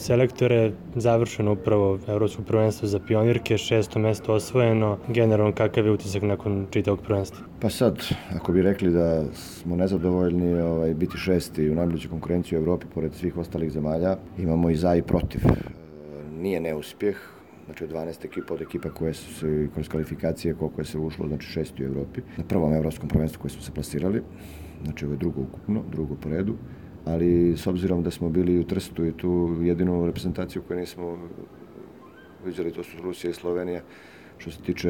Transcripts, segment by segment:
Selektore, završeno upravo Evropsko prvenstvo za pionirke, 6. mesto osvojeno. Generalno, kakav je utisak nakon čitavog prvenstva? Pa sad, ako bi rekli da smo nezadovoljni biti šesti u najbližoj konkurenciji u Evropi pored svih ostalih zemalja, imamo i za i protiv. Nije neuspjeh, znači od 12 ekipa, od ekipa koje su se kroz kvalifikacije, koliko je se ušlo, znači šesti u Evropi. Na prvom evropskom prvenstvu koje smo se plasirali, znači ovo je drugo ukupno, drugo po redu. Ali s obzirom da smo bili u Trstu i tu jedinu reprezentaciju koju nismo vidjeli, to su Rusija i Slovenija. Što se tiče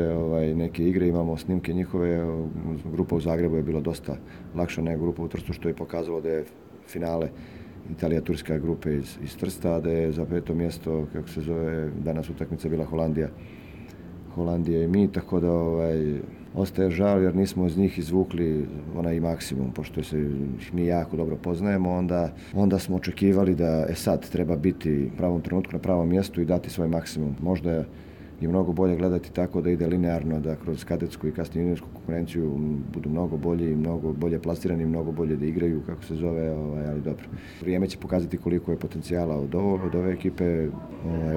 neke igre, imamo snimke njihove, grupa u Zagrebu je bila dosta lakša nego grupa u Trstu, što je pokazalo da je finale Italija-Turska grupe iz Trsta, a da je za 5. mjesto, kako se zove, danas utakmica bila Holandija i mi, tako da ostaje žal jer nismo iz njih izvukli onaj maksimum, pošto se mi jako dobro poznajemo, onda smo očekivali da sad treba biti u pravom trenutku na pravom mjestu i dati svoj maksimum. Možda je mnogo bolje gledati tako da ide linearno, da kroz kadetsku i kasnije juniorsku konkurenciju budu mnogo bolji, mnogo bolje plasirani, mnogo bolje da igraju, kako se zove, ali dobro. Vrijeme će pokazati koliko je potencijala od ove ekipe.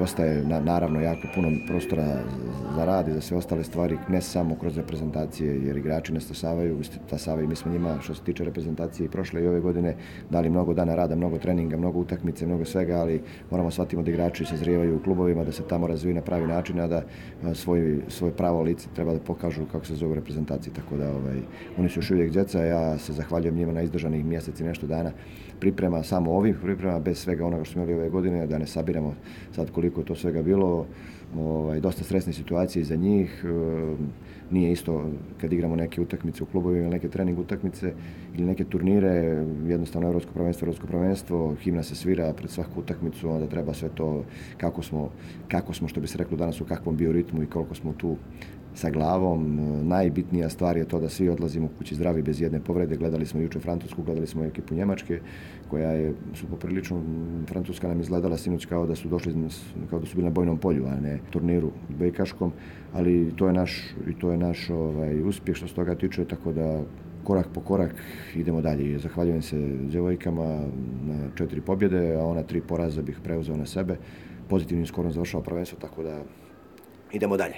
Ostaje naravno jako puno prostora za rad i za sve ostale stvari, ne samo kroz reprezentacije, jer igrači ne stasavaju, mi smo njima što se tiče reprezentacije i prošle i ove godine dali mnogo dana rada, mnogo treninga, mnogo utakmice, mnogo svega, ali moramo shvatiti da igrači sazrijevaju u klubovima, da se tamo razviju na pravi način, a da svoj pravo lice treba da pokažu kako se zove u reprezentaciji, tako da oni su još uvijek djeca, ja se zahvaljujem njima na izdržanih mjesec i nešto dana priprema, samo ovih priprema, bez svega onoga što smo imali ove godine, da ne sabiramo sad koliko je to svega bilo, dosta stresne situacije iza njih, nije isto kad igramo neke utakmice u klubovima ili neke trening utakmice ili neke turnire, jednostavno Evropsko prvenstvo, himna se svira pred svaku utakmicu, onda treba sve to kako smo što bi se reklo danas u kakvom bioritmu i koliko smo tu sa glavom. Najbitnija stvar je to da svi odlazimo kući zdravi bez jedne povrede. Gledali smo jučer Francusku, gledali smo ekipu Njemačke, koja su poprilično, Francuska nam izgledala sinoć kao da su bili na bojnom polju, a ne turniru bejkaškom, ali to je naš uspjeh što se toga tiče, tako da korak po korak idemo dalje. Zahvaljujem se djevojkama na 4 pobjede, a ona 3 poraza bih preuzeo na sebe. Pozitivnim skorom završao prvenstvo, tako da idemo dalje.